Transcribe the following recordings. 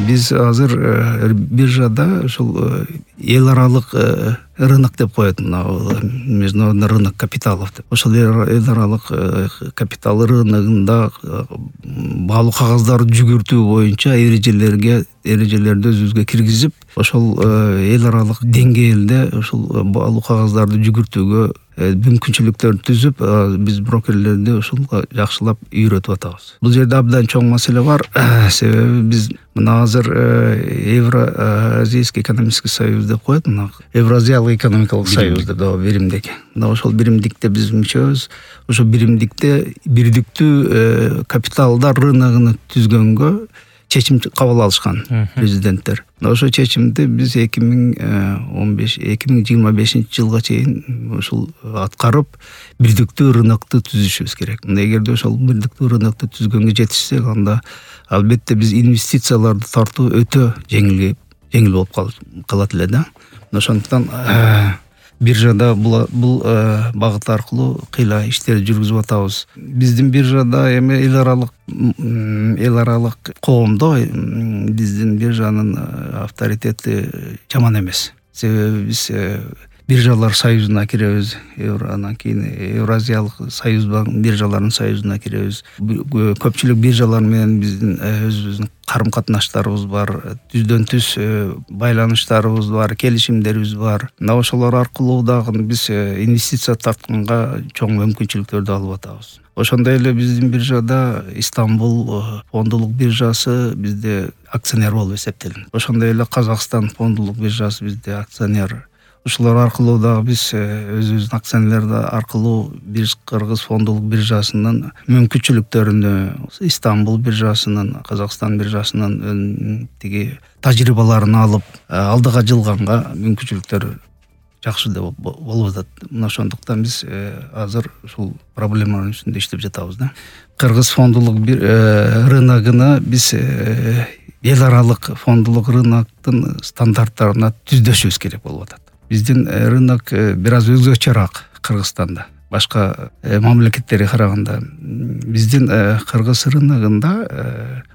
Биз азыр биржада ушул эл аралык рынок деп коет, мына международный рынок капиталов деп. Ошол эл аралык капитал рыногунда баалуу кагаздарды жүгүртүү боюнча эрежелерди өзүбүзгө киргизип, ошол эл аралык деңгээлде ушул баалуу кагаздарды жүгүртүүгө мүмкүнчүлүктөрдү түзүп, биз брокерлерди ушулга жакшылап үйрөтүп атабыз. Бул жерде абдан чоң маселе бар. Себеби биз мына азыр Евразийский экономический союз деп коет, мына Евразиялык экономикалык союз деп биримдик. Мына ошол биримдикте биз мүчөбүз. Ошол биримдикте бирдиктүү капиталдар рыногун түзгөнгө чечим кабыл алышкан президенттер. Ошол чечимди биз 2025 жылга чейин ушул аткарып, бирдиктүү рынокту түзүшүбүз керек. Эгерде ошол бирдиктүү рынокду түзгөнгө жетишсек, анда албетте биз инвестицияларды тартуу өтө жеңил болуп калат эле да. Ошондуктан биржада бул багыт аркылуу кыйла иштерди жүргүзүп атабыз. Биздин биржада эми эл аралык коомдо биздин биржанын авторитети жаман эмес. Себеби биз биржалар союзуна киребиз, анан кийин Евразиялык союз биржаларынын союзуна киребиз. Көпчүлүк биржалар менен биздин өзүбүздүн карым-катнаштарыбыз бар, түздөн түз байланыштарыбыз бар, келишимдерибиз бар. Мына ошолор аркылуу дагы биз инвестиция тартканга чоң мүмкүнчүлүктөрдү алып атабыз. Ошондой эле биздин биржада Истанбул фондулук биржасы бизде акционер болуп эсептелинет. Ошондой эле Казакстан фондулук биржасы бизде акционер. Ушулар аркылуу дагы биз өзүбүздүн акционерлер аркылуу Кыргыз фондулук биржасынын мүмкүнчүлүктөрүнү, Истанбул биржасынын, Казакстан биржасынын тиги тажрыйбаларын алып, алдыга жылганга мүмкүнчүлүктөр жакшы деп болуп атат. Мына ошондуктан биз азыр ушул проблеманын үстүндө иштеп жатабыз да. Кыргыз фондулук рыногуна биз эл аралык фондулук рыноктун стандарттарына түздөшүбүз керек болуп атат. Биздин рынок бир аз өзгөчөрөөк Кыргызстанда, башка мамлекеттерге караганда. Биздин Кыргыз рыногунда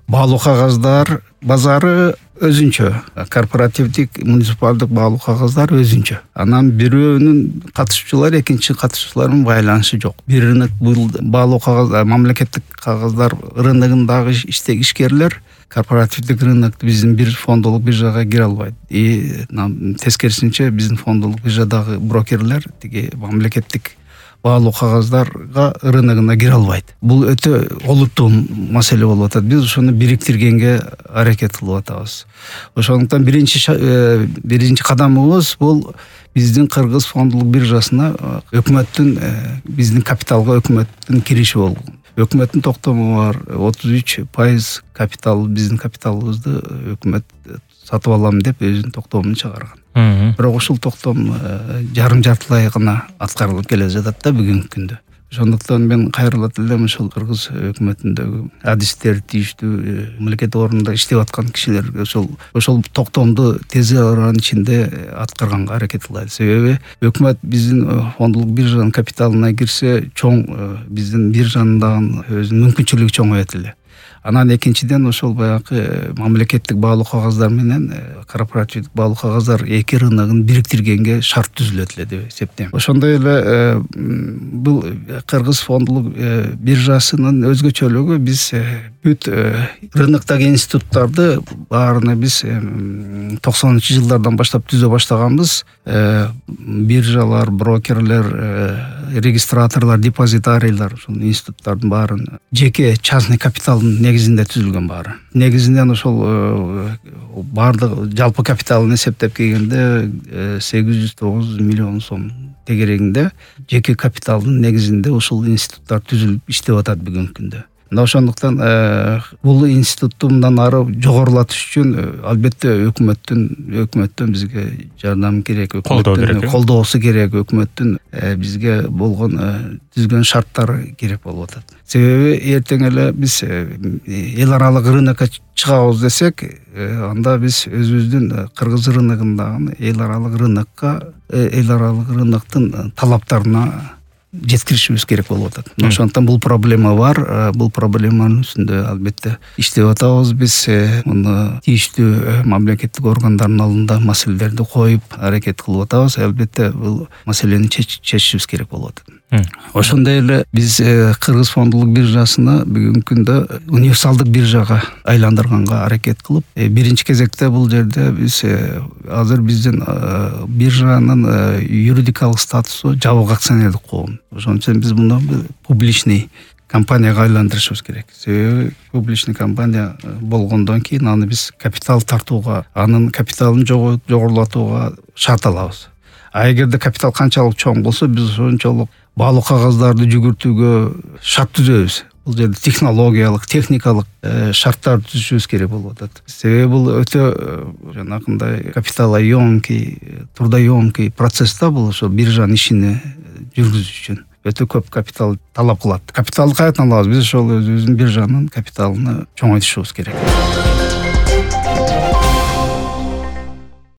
баалуу кагаздар базары өзүнчө, корпоративдик, муниципалдык баалуу кагаздар өзүнчө. Анан бирөөнүн катышуучулар экинчи катышуучулардын байланышы жок. Бир рынок бул баалуу кагаздар, мамлекеттик кагаздар рыногундагы ишкерлер корпоративдик рынок биздин бир фондулук биржага кире албайт. Тескерисинче биздин фондулук биржадагы брокерлер тиги мамлекеттик баалуу кагаздарга рыногуна кире албайт. Бул өтө олуттуу маселе болуп атат. Биз ошону бириктиргенге аракет кылып атабыз. Ошондуктан биринчи кадамыбыз бул биздин Кыргыз фондулук биржасына биздин капиталга өкмөттүн кириши болгон. Өкмөттүн токтому бар, 33% капитал, биздин капиталыбызды өкмөт сатып алам деп өзүнүн токтомун чыгарган. Бирок ушул токтом жартылай гана аткарылып келе жатат да бүгүнкү күндө. Ошондуктан мен кайрылат элем ушул Кыргыз өкмөтүндөгү адистер, тийиштүү мамлекет орунда иштеп аткан кишилерге ошол токтомду тез аранын ичинде аткарганга аракет кылайлы. Себеби өкмөт биздин фондулук биржанын капиталына кирсе, чоң биздин биржанын дагы өзүнүн мүмкүнчүлүгү чоңоет эле. Анан экинчиден ошол баягы мамлекеттик баалуу кагаздар менен корпоративдик баалуу кагаздар эки рыногун бириктиргенге шарт түзүлөт эле деп эсептейм. Ошондой эле бул Кыргыз фондулук биржасынын өзгөчөлүгү биз бүт рыноктогу институттарды баарына биз 90-жылдардан баштап түзө баштаганбыз. Биржалар, брокерлер, регистраторлор, депозитарийлер, ушул институттардын баарын жеке частный капиталдын негизинде түзүлгөн баары. Негизинен ошол баардык жалпы капиталын эсептеп келгенде 809 миллион сом тегерегинде жеке капиталдын негизинде ушул институттар түзүлүп иштеп атат бүгүнкү күндө. Мына ошондуктан бул институтту мындан ары жогорулатыш үчүн албетте өкмөттөн бизге жардам керек, колдоосу керек, өкмөттүн бизге болгон түзгөн шарттары керек болуп атат. Себеби эртең эле биз эл аралык рынокко чыгабыз десек, анда биз өзүбүздүн Кыргыз рыногундагы эл аралык рыноктун талаптарына жеткиришибиз керек болуп атат. Ошондуктан бул проблема бар. Бул проблеманын үстүндө албетте иштеп атабыз биз. Муну тийиштүү мамлекеттик органдардын алдында маселелерди коюп аракет кылып атабыз. Албетте бул маселени чечишибиз керек болуп атат. Ошондой эле биз Кыргыз фондулук биржасына бүгүнкү күндө универсалдык биржага айландырганга аракет кылып, биринчи кезекте бул жерде биз азыр биздин биржанын юридикалык статусу жабык акционердик коом. Ошон үчүн биз муну публичный компанияга айландырышыбыз керек. Себеби публичный компания болгондон кийин аны биз капитал тартууга, анын капиталын жогорулатууга шарт алабыз. А эгерде капитал канчалык чоң болсо, биз ошончолук баалуу кагаздарды жүгүртүүгө шарт түзөбүз. Бул жерде технологиялык, техникалык шарттар түзүшүбүз керек болуп атат. Себеби бул өтө жанакындай капиталоемкий, трудоемкий процесс да бул, ошо биржанын ишини жүргүзүш үчүн өтө көп капитал талап кылат. Капиталды кайдан алабыз? Биз ошол өзүбүздүн биржанын капиталын чоңойтушубуз керек.